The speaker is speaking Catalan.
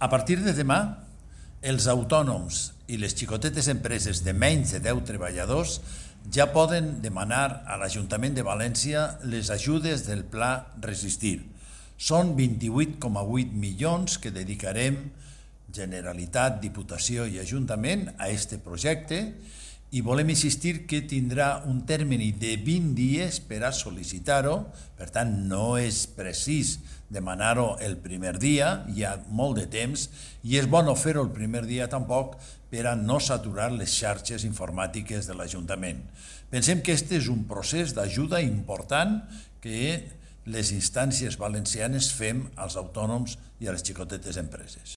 A partir de demà, els autònoms i les xicotetes empreses de menys de 10 treballadors ja poden demanar a l'Ajuntament de València les ajudes del Pla Resistir. Són 28,8 milions que dedicarem Generalitat, Diputació i Ajuntament a aquest projecte i volem insistir que tindrà un termini de 20 dies per a sol·licitar-ho, per tant no és precís demanar-ho el primer dia, hi ha molt de temps i és bo no fer-ho el primer dia tampoc per a no saturar les xarxes informàtiques de l'Ajuntament. Pensem que aquest és un procés d'ajuda important que les instàncies valencianes fem als autònoms i a les xicotetes empreses.